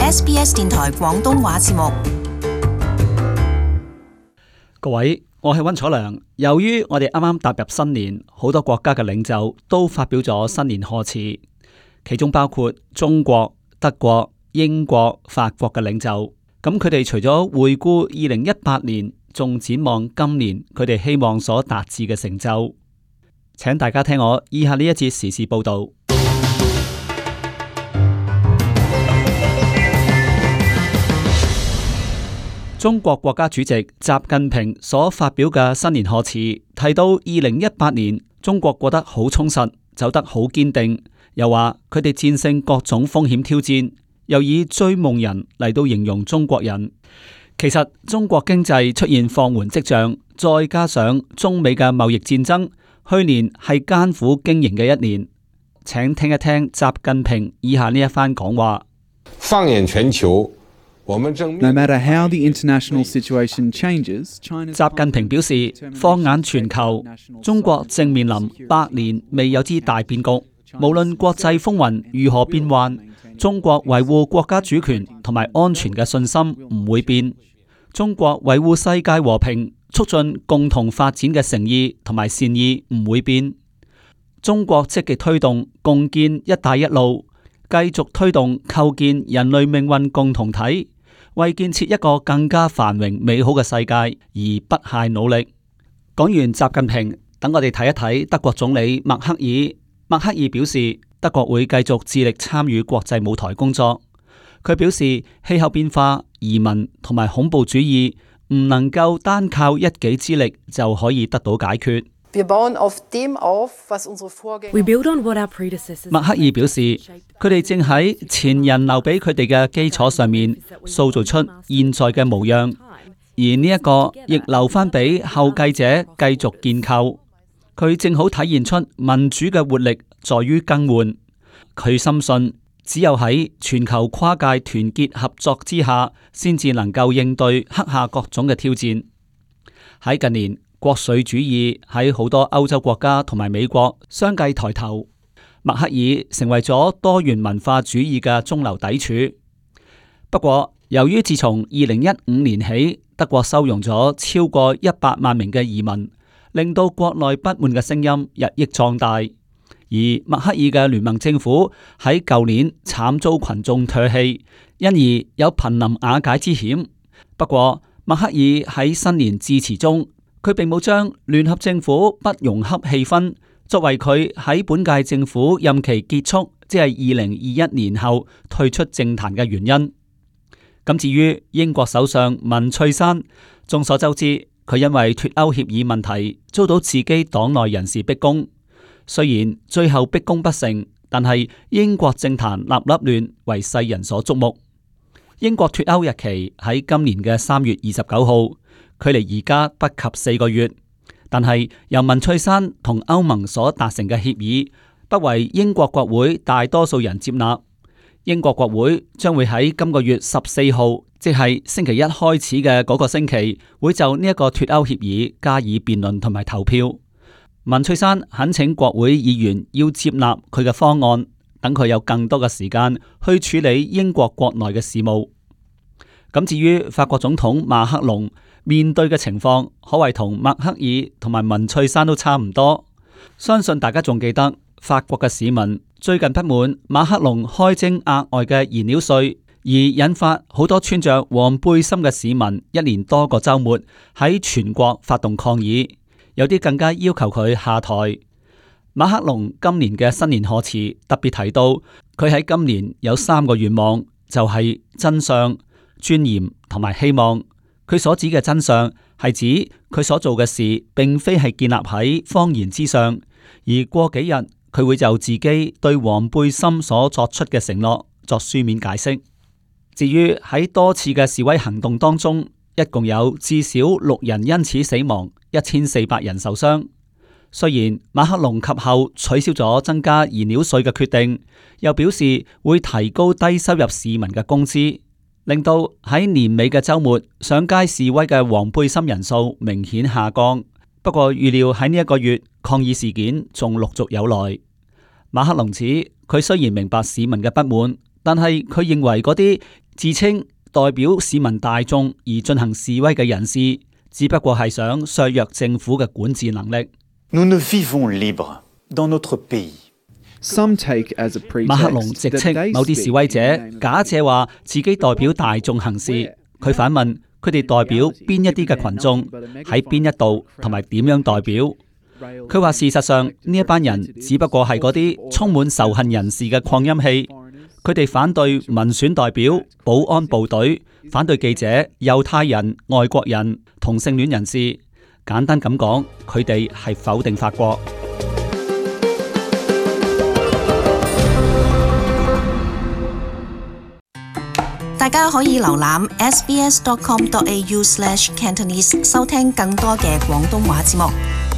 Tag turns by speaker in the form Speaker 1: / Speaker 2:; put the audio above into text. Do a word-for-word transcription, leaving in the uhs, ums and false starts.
Speaker 1: S B S 電台廣東話節目。
Speaker 2: 各位，我係溫楚良。由於我哋啱啱踏入新年，好多國家嘅領袖都發表咗新年賀詞，其中包括中國、德國、英國、法國嘅領袖。咁佢哋除咗回顧二零一八年，仲展望今年佢哋希望所達至嘅成就。請大家聽我以下呢一節時事報道。中國國家主席習近平所發表嘅新年賀詞提到，二零一八年中國過得好充實，走得好堅定，又話佢哋戰勝各種風險挑戰，又以追夢人嚟到形容中國人。其實中國經濟出現放緩跡象，再加上中美嘅貿易戰爭，去年係艱苦經營嘅一年。請聽一聽習近平以下呢一番講話。
Speaker 3: 放眼全球
Speaker 4: No matter how the international situation changes,
Speaker 2: 習近平表示，放眼全球，中國正面臨百年未有之大變局。無論國際風雲如何變幻，中國維護國家主權同埋安全嘅信心唔會變。中國維護世界和平、促進共同發展嘅誠意同埋善意唔會變。中國積極推動共建一帶一路，繼續推動構建人類命運共同體，為建設一個更加繁榮美好嘅世界而不懈努力。講完習近平，等我哋睇一睇德國總理默克爾。默克爾表示，德國會繼續致力參與國際舞台工作。佢表示，氣候變化、移民同埋恐怖主義唔能夠單靠一己之力就可以得到解決。默克爾表示，佢哋正喺前人留俾佢哋嘅基礎上面塑造出現在嘅模樣，而呢一個亦留翻俾後繼者繼續建構。佢正好體現出民主嘅活力在於更換。佢深信，只有喺全球跨界團結合作之下，先至能夠應對刻下各種嘅挑戰。喺近年，國粹主義喺好多歐洲國家同埋美國相繼抬頭，默克爾成為咗多元文化主義嘅中流砥柱。不過，由於自從二零一五年起，德國收容咗超過一百萬名嘅移民，令到國內不滿嘅聲音日益壯大。而默克爾嘅聯盟政府喺舊年慘遭群眾唾棄，因而有瀕臨瓦解之險。不過，默克爾喺新年致辭中，佢並冇將聯合政府不融洽氣氛作為佢喺本屆政府任期結束，即係二零二一年後退出政壇嘅原因。咁至於英國首相文翠珊，眾所周知，佢因為脫歐協議問題遭到自己黨內人士逼宮。雖然最後逼宮不成，但係英國政壇立立亂，為世人所矚目。英國脫歐日期喺今年嘅三月二十九號，距離而家不及四個月。但係由文翠珊同歐盟所達成嘅協議，不為英國國會大多數人接納。英國國會將會喺今個月十四號，即係星期一開始嘅嗰個星期，會就呢一個脫歐協議加以辯論同埋投票。文翠珊懇請國會議員要接納佢嘅方案，等佢有更多嘅時間去處理英國國內嘅事務。咁至於法國總統馬克龍面對嘅情況，可謂同默克爾同埋文翠珊都差唔多。相信大家仲記得，法國嘅市民最近不滿馬克龍開徵額外嘅燃料稅，而引發好多穿着黃背心嘅市民一連多個週末喺全國發動抗議。有啲更加要求佢下台。馬克龍今年嘅新年賀詞特別提到，佢喺今年有三個願望，就係真相、尊嚴同埋希望。佢所指嘅真相係指佢所做嘅事並非係建立喺謊言之上，而過幾日佢會就自己對黃背心所作出嘅承諾作書面解釋。至於喺多次嘅示威行動當中，一共有至少六人因此死亡，一千四百人受傷。雖然馬克龍及後取消咗增加燃料稅嘅決定，又表示會提高低收入市民嘅工資，令到喺年尾嘅週末上街示威嘅黃背心人數明顯下降。不過預料喺呢一個月抗議事件仲陸續有來。馬克龍指佢雖然明白市民嘅不滿，但係佢認為嗰啲自稱代表市民大眾而進行示威嘅人士，只不過係想削弱政府嘅管治能力。
Speaker 5: Nous ne vivons libres dans notre pays.
Speaker 4: Some take as a
Speaker 2: 馬克龍
Speaker 4: pretext
Speaker 2: 直
Speaker 4: that
Speaker 2: 斥
Speaker 4: they
Speaker 2: 某啲
Speaker 4: speak
Speaker 2: 示威者
Speaker 4: in the name of
Speaker 2: 假借話自己代表大眾行事，佢反問佢哋代表邊一啲嘅群眾，喺邊一度同埋點樣代表？佢話事實上呢一班人只不過係嗰啲充滿仇恨人士嘅擴音器，佢哋反對民選代表、保安部隊，反對記者、猶太人、外國人、同性戀人士。簡單咁講，佢哋係否定法國。
Speaker 1: 大家可以瀏覽 s b s dot com dot a u slash cantonese 收聽更多嘅廣東話節目。